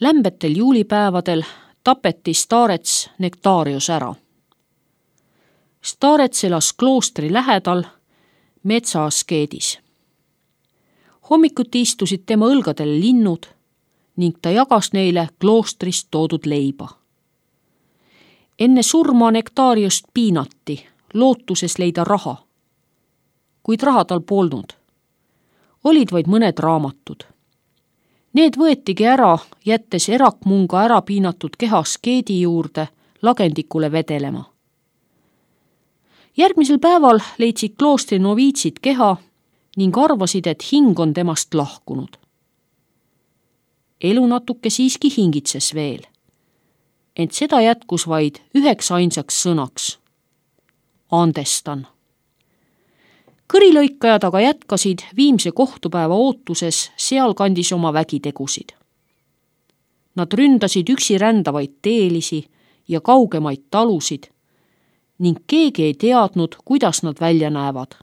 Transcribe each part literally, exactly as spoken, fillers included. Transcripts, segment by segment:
Lämbetel juulipäevadel tapeti Starets Nectarius ära. Starets elas kloostri lähedal metsaaskeedis. Hommikuti istusid tema õlgadel linnud ning ta jagas neile kloostrist toodud leiba. Enne surma Nectariust piinati, lootuses leida raha. Kuid raha tal polnud. Olid vaid mõned raamatud. Need võetigi ära, jättes erakmunga ära piinatud keha askeedi juurde lagendikule vedelema. Järgmisel päeval leidsid kloostri noviitsid keha ning arvasid, et hing on temast lahkunud. Elu natuke siiski hingitses veel, ent seda jätkus vaid üheks ainsaks sõnaks. Andestan. Kõrilõikajad aga jätkasid viimse kohtupäeva ootuses sealkandis oma vägitegusid. Nad ründasid üksi rändavaid teelisi ja kaugemaid talusid ning keegi ei teadnud, kuidas nad välja näevad,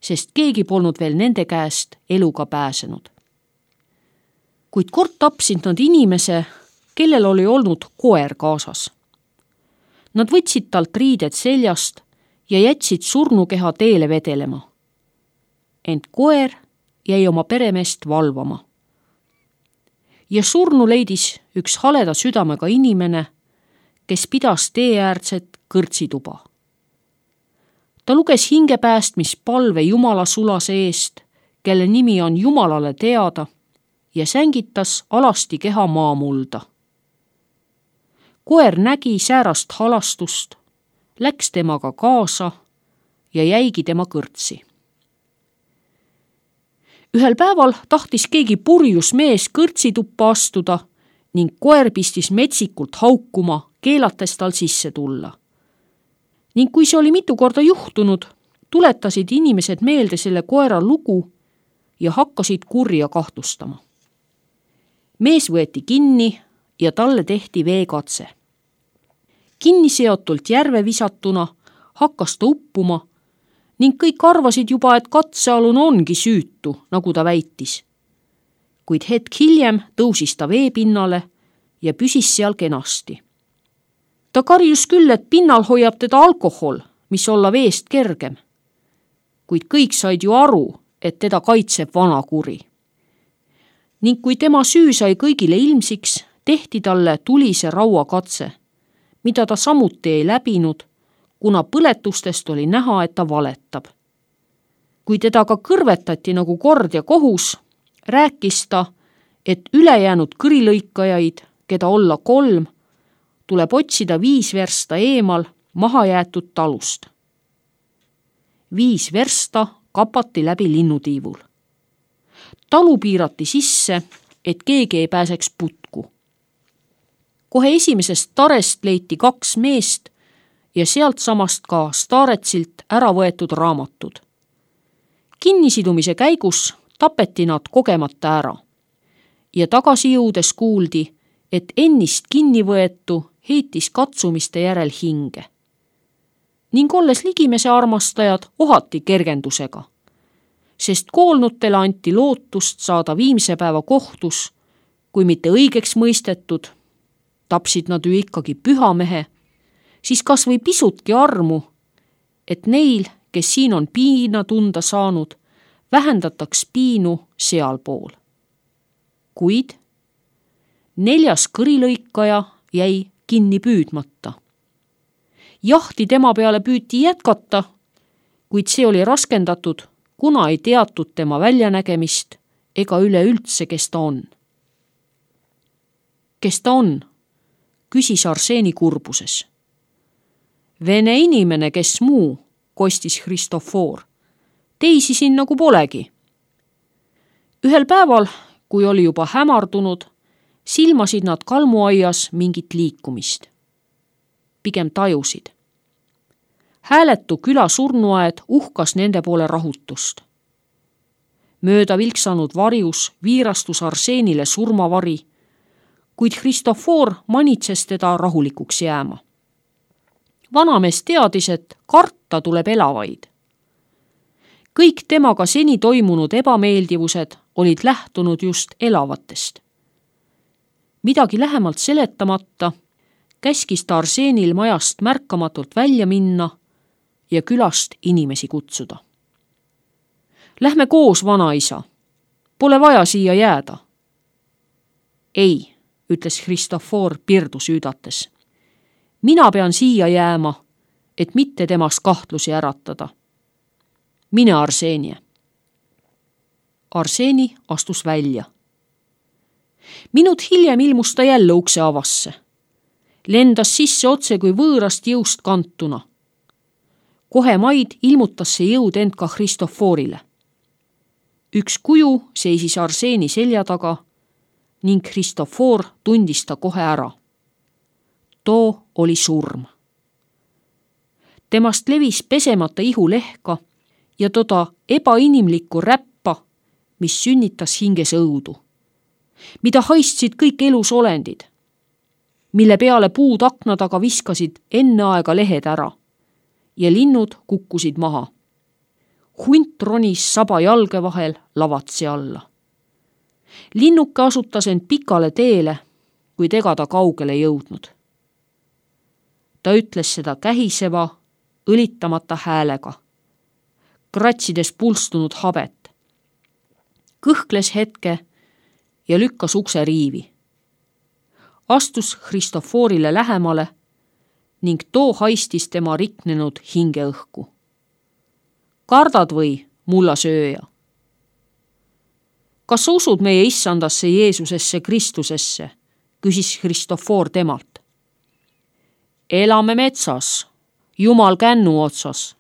sest keegi polnud veel nende käest eluga pääsenud. Kuid kord tapsid nad inimese, kellel oli olnud koer kaasas. Nad võtsid talt riided seljast ja jätsid surnukeha teele vedelema. Ent koer jäi oma peremeest valvama. Ja surnu leidis üks haleda südamega inimene, kes pidas teeäärtset kõrtsituba. Ta luges hingepäästmispalve Jumala sulase eest, kelle nimi on Jumalale teada, ja sängitas alasti keha maamulda. Koer nägi säärast halastust, läks temaga kaasa ja jäigi tema kõrtsi. Ühel päeval tahtis keegi purjus mees kõrtsituppa astuda ning koer pistis metsikult haukuma, keelates tal sisse tulla. Ning kui see oli mitu korda juhtunud, tuletasid inimesed meelde selle koera lugu ja hakkasid kurja kahtlustama. Mees võeti kinni ja talle tehti veekatse. Kinni seotult järve visatuna hakkas ta uppuma ning kõik arvasid juba, et katsealune ongi süütu, nagu ta väitis. Kuid hetk hiljem tõusis ta veepinnale ja püsis seal kenasti. Ta karjus küll, et pinnal hoiab teda alkohol, mis olla veest kergem. Kuid kõik said ju aru, et teda kaitseb vana kuri. Ning kui tema süü sai kõigile ilmsiks, tehti talle tulise rauakatse, mida ta samuti ei läbinud, kuna põletustest oli näha, et ta valetab. Kui teda ka kõrvetati nagu kord ja kohus, rääkis ta, et ülejäänud kõrilõikajaid, keda olla kolm, tuleb otsida viis versta eemal mahajäetud talust. Viis versta kapati läbi linnutiivul. Talu piirati sisse, et keegi ei pääseks putku. Kohe esimesest starest leiti kaks meest ja sealt samast ka Staretsilt ära võetud raamatud. Kinnisidumise käigus tapeti nad kogemata ära ja tagasi jõudes kuuldi, et ennist kinni võetu heitis katsumiste järel hinge. Ning olles ligimese armastajad ohati kergendusega, sest koolnutele anti lootust saada viimse päeva kohtus, kui mitte õigeks mõistetud, tapsid nad ju ikkagi pühamehe, siis kas või pisutki armu, et neil, kes siin on piina tunda saanud, vähendataks piinu sealpool. Kuid neljas kõrilõikaja jäi kinni püüdmata. Jahti tema peale püüti jätkata, kuid see oli raskendatud, kuna ei teatud tema väljanägemist ega üleüldse, kes ta on. Kes ta on? Küsis Arseeni kurbuses. Vene inimene, kes muu, kostis Kristofor. Teisi siin nagu polegi. Ühel päeval, kui oli juba hämardunud, silmasid nad kalmuaias mingit liikumist. Pigem tajusid. Hääletu küla surnuaed uhkas nende poole rahutust. Mööda vilksanud varjus viirastus Arseenile surmavari, kuid Kristofor manitses teda rahulikuks jääma. Vanamees teadis, et karta tuleb elavaid. Kõik temaga seni toimunud ebameeldivused olid lähtunud just elavatest. midagi lähemalt seletamata käskis ta Arseenil majast märkamatult välja minna ja külast inimesi kutsuda. Lähme koos, vanaisa. Pole vaja siia jääda. Ei, ütles Kristofor pirdu süüdates. Mina pean siia jääma, et mitte temas kahtlusi äratada. Mine, Arseenie. Arseeni astus välja. Minut hiljem ilmus ta jälle ukse avasse. Lendas sisse otse kui võõrast jõust kantuna. Kohe maid ilmutas see jõud end ka Kristoforile. Üks kuju seisis Arseeni selja taga ning Kristofor tundis ta kohe ära. Too oli surm. Temast levis pesemata ihulehka ja toda ebainimlikku räppa, mis sünnitas hinges õudu, mida haistsid kõik elusolendid, mille peale puud akna taga viskasid enne aega lehed ära ja linnud kukkusid maha. Hunt ronis saba jalge vahel lavatsi alla. Linnuke asutas end pikale teele, kuid ega ta kaugele jõudnud. Ta ütles seda kähiseva, õlitamata häälega, kratsides pulstunud habet. Kõhkles hetke ja lükkas ukse riivi. Astus Kristoforile lähemale ning too haistis tema riknenud hingeõhku. Kardad või, mullasööja? Kas sa usud meie issandasse Jeesusesse Kristusesse? Küsis Kristofor temalt. Elame metsas, Jumal kännu otsas.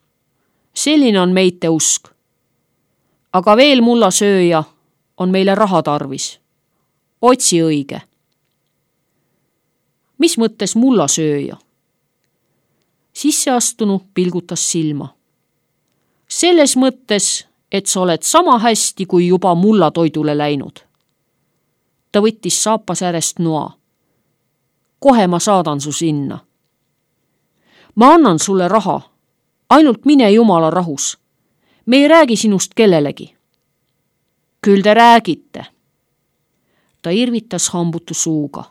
Selline on meite usk. Aga veel, mullasööja, on meile raha tarvis. Otsi õige. Mis mõttes mullasööja? Sisseastunu pilgutas silma. Selles mõttes, et sa oled sama hästi kui juba mullatoidule läinud. Ta võttis saapas äärest noa. Kohe ma saadan su sinna. Ma annan sulle raha, ainult mine Jumala rahus. Me ei räägi sinust kellelegi. Küll te räägite. Ta irvitas hambutu suuga,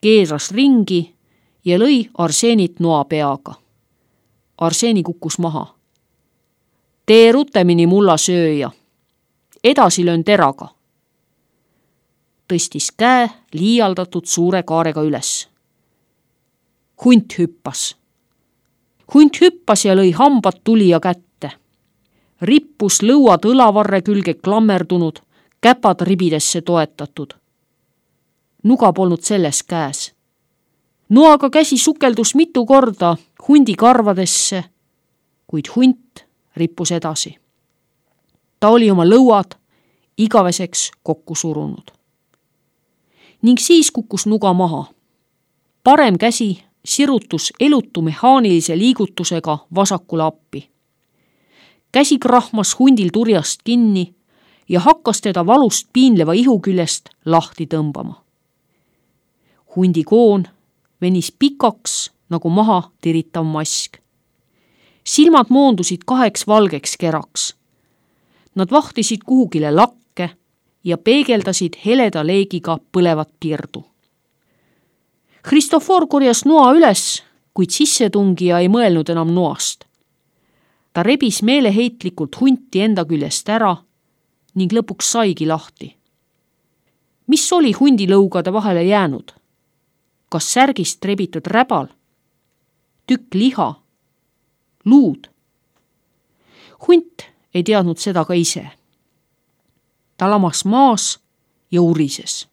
keeras ringi ja lõi Arseenit noa peaga. Arseeni kukkus maha. Tee rutemini, mullasööja. Edasi löön teraga. Tõstis käe liialdatud suure kaarega üles. Hunt hüppas. Hunt hüppas ja lõi hambad tulija kätte. Rippus lõuad õlavarre külge klammerdunud, käpad ribidesse toetatud. Nuga polnud selles käes. Noaga käsi sukeldus mitu korda hundi karvadesse, kuid hunt rippus edasi. Ta oli oma lõuad igaveseks kokku surunud. Ning siis kukkus nuga maha. Parem käsi sirutus elutu mehaanilise liigutusega vasakule appi. Käsi krahmas hundil turjast kinni ja hakkas teda valust piinleva ihu küljest lahti tõmbama. Hundi koon venis pikaks nagu maha tiritav mask. Silmad moondusid kaheks valgeks keraks. Nad vahtisid kuhugile lakke ja peegeldasid heleda leegiga põlevat pirdu. Kristofor korjas noa üles, kuid sissetungija ei mõelnud enam noast. Ta rebis meeleheitlikult hunti enda küljest ära ning lõpuks saigi lahti. Mis oli hundilõugade vahele jäänud? Kas särgist rebitud räbal? Tükk liha? Luud? Hunt ei teadnud seda ka ise. Ta lamas maas ja urises.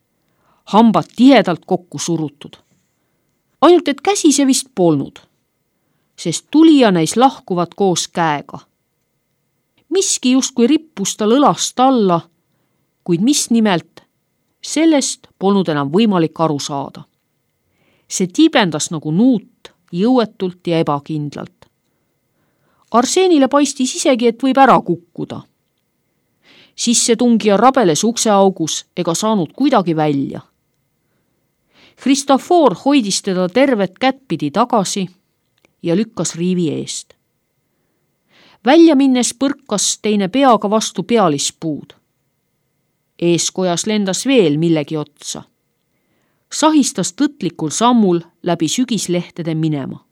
Hambad tihedalt kokku surutud. Ainult et käsi see vist polnud, sest tulija neis lahkuvad koos käega. Miski justkui rippus tal õlast alla, kuid mis nimelt, sellest polnud enam võimalik aru saada. See tiibendas nagu nuut, jõuetult ja ebakindlalt. Arseenile paistis isegi, et võib ära kukkuda. Sissetungija rabeles ukseaugus ega saanud kuidagi välja. Kristofor hoidis teda tervet kättpidi tagasi ja lükkas riivi eest. Välja minnes põrkas teine peaga vastu pealispuud. Eeskojas lendas veel millegi otsa. sahistas tõtlikul sammul läbi sügislehtede minema.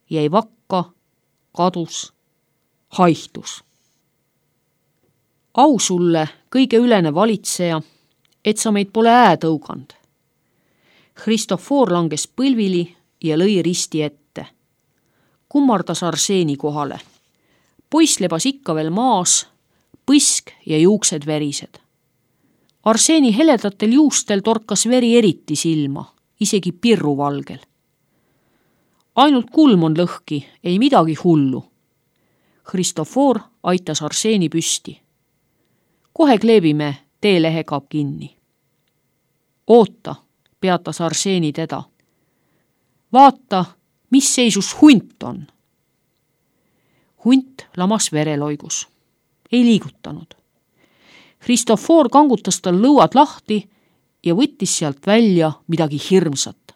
Jäi vakka, kadus, haihtus. Au sulle, kõige ülene valitseja, et sa meid pole ää tõugand. Christofor langes põlvili ja lõi risti ette. Kummardas Arseeni kohale. Poiss lebas ikka veel maas, põsk ja juuksed verised. Arseeni heledatel juustel torkas veri eriti silma, isegi pirruvalgel. Ainult kulm on lõhki, ei midagi hullu. Christofor aitas Arseeni püsti. Kohe kleebime teelehega kinni. Oota, peatas Arseeni teda. Vaata, mis seisus hunt on. Hunt lamas vereloigus. Ei liigutanud. Christofor kangutas tal lõuad lahti ja võttis sealt välja midagi hirmsat.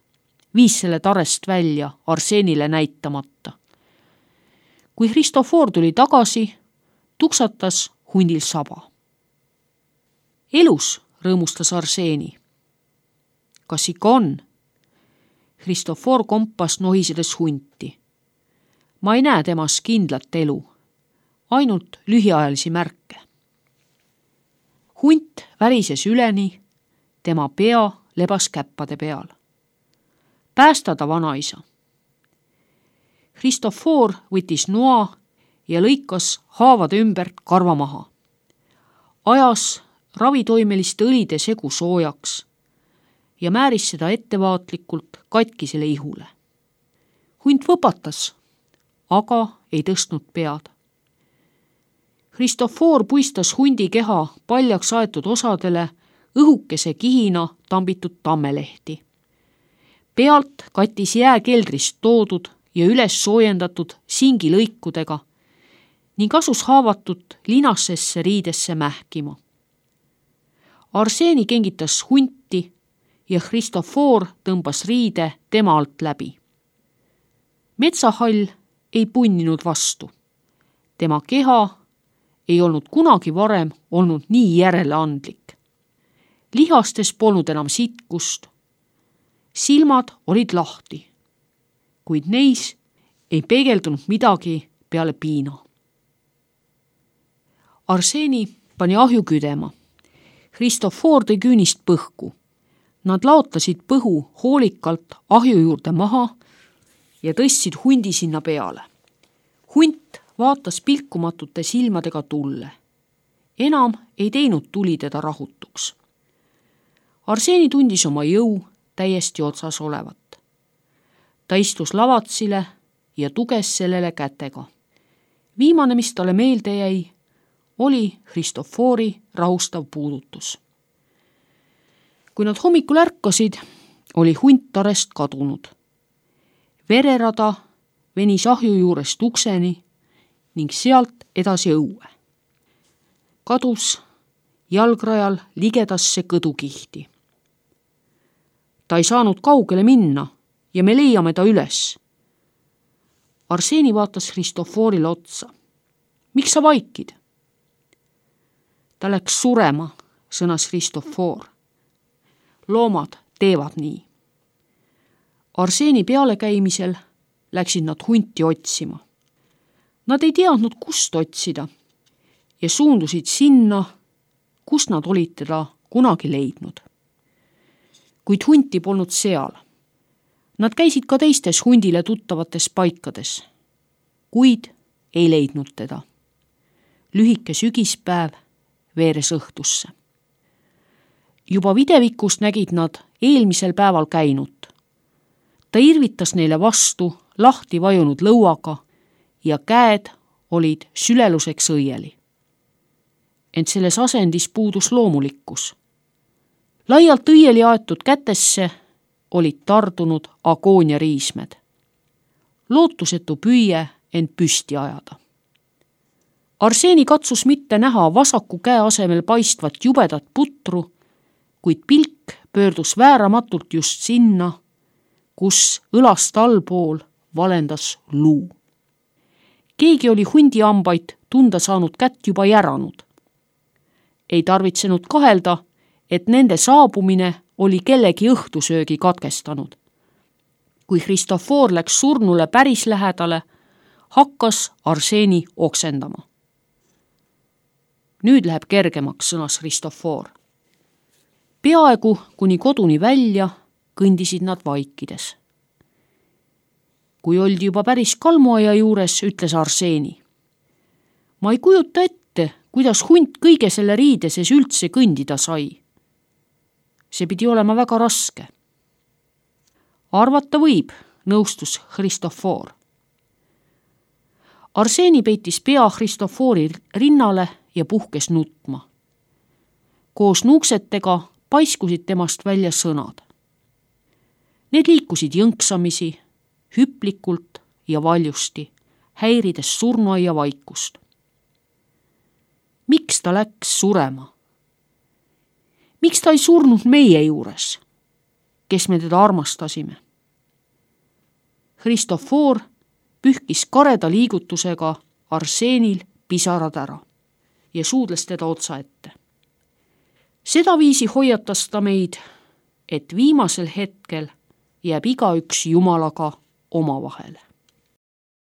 Viis selle tarest välja Arseenile näitamata. Kui Christofor tuli tagasi, tuksatas hundil saba. Elus, rõõmustas Arseeni. Kas ikka on? Christofor kompas nohisedes hunti. Ma ei näe temas kindlat elu, ainult lühiajalisi märke. Hunt värises üleni, tema pea lebas käppade peal. Päästa ta vanaisa. Christofor võttis noa ja lõikas haavade ümbert karva maha. Ajas ravitoimeliste õlide segu soojaks ja määris seda ettevaatlikult katkisele ihule. Hunt võpatas, aga ei tõstnud pead. Christofor puistas hundi keha paljaks aetud osadele õhukese kihina tambitud tammelehti. Pealt kattis jääkeldrist toodud ja üles soojendatud singilõikudega ning asus haavatut linassesse riidesse mähkima. Arseeni kengitas hunti ja Christofor tõmbas riide tema alt läbi. Metsahall ei punninud vastu. Tema keha ei olnud kunagi varem olnud nii järeleandlik. Lihastes polnud enam sitkust. Silmad olid lahti, kuid neis ei peegeldunud midagi peale piina. Arseeni pani ahju küdema. Christofor tõi küünist põhku. Nad laotasid põhu hoolikalt ahju juurde maha ja tõstsid hundi sinna peale. Hunt vaatas pilkumatute silmadega tulle. Enam ei teinud tuli teda rahutuks. Arseeni tundis oma jõu täiesti otsas olevat. Ta istus lavatsile ja tuges sellele kätega. Viimane, mis talle meelde jäi, oli Christofori rahustav puudutus. Kui nad hommikul ärkasid, oli hunt tarest kadunud. Vererada venis ahju juurest ukseni ning sealt edasi õue. Kadus jalgrajal ligedasse kõdukihti. Ta ei saanud kaugele minna ja me leiame ta üles. Arseeni vaatas Christoforile otsa. Miks sa vaikid? Ta läks surema, sõnas Christofor. Loomad teevad nii. Arseeni pealekäimisel läksid nad hunti otsima. Nad ei teadnud, kust otsida ja suundusid sinna, kus nad olid teda kunagi leidnud. Kuid hunti polnud seal. Nad käisid ka teistes hundile tuttavates paikades, kuid ei leidnud teda. Lühike sügispäev veeres õhtusse. Juba videvikus nägid nad eelmisel päeval käinut. Ta irvitas neile vastu lahti vajunud lõuaga ja käed olid süleluseks õieli. Ent selles asendis puudus loomulikkus. Laialt õieli aetud kätesse olid tardunud agoonia riismed. Lootusetu püüe end püsti ajada. Arseeni katsus mitte näha vasaku käe asemel paistvat jubedat putru, kuid pilk pöördus vääramatult just sinna, kus õlast allpool valendas luu. Keegi oli hundi ambaid tunda saanud kätt juba järanud. Ei tarvitsenud kahelda, et nende saabumine oli kellegi õhtusöögi katkestanud. Kui Kristofor läks surnule päris lähedale, hakkas Arseni oksendama. Nüüd läheb kergemaks, sõnas Kristofor. Peaaegu kuni koduni välja kõndisid nad vaikides. Kui oldi juba päris kalmuaia juures, ütles Arseni. Ma ei kujuta ette, kuidas hunt kõige selle riide sees üldse kõndida sai. See pidi olema väga raske. Arvata võib, nõustus Kristofor. Arseni peitis pea Kristofori rinnale ja puhkes nutma. Koos nuuksetega paiskusid temast välja sõnad. Need liikusid jõnksamisi, hüplikult ja valjusti, häirides surnuaia vaikust. Miks ta läks surema? Miks ta ei surnud meie juures, kes me teda armastasime? Kristofor pühkis kareda liigutusega Arsenil pisarad ära ja suudles teda otsa ette. Sedaviisi hoiatas ta meid, et viimasel hetkel jääb igaüks Jumalaga omavahele.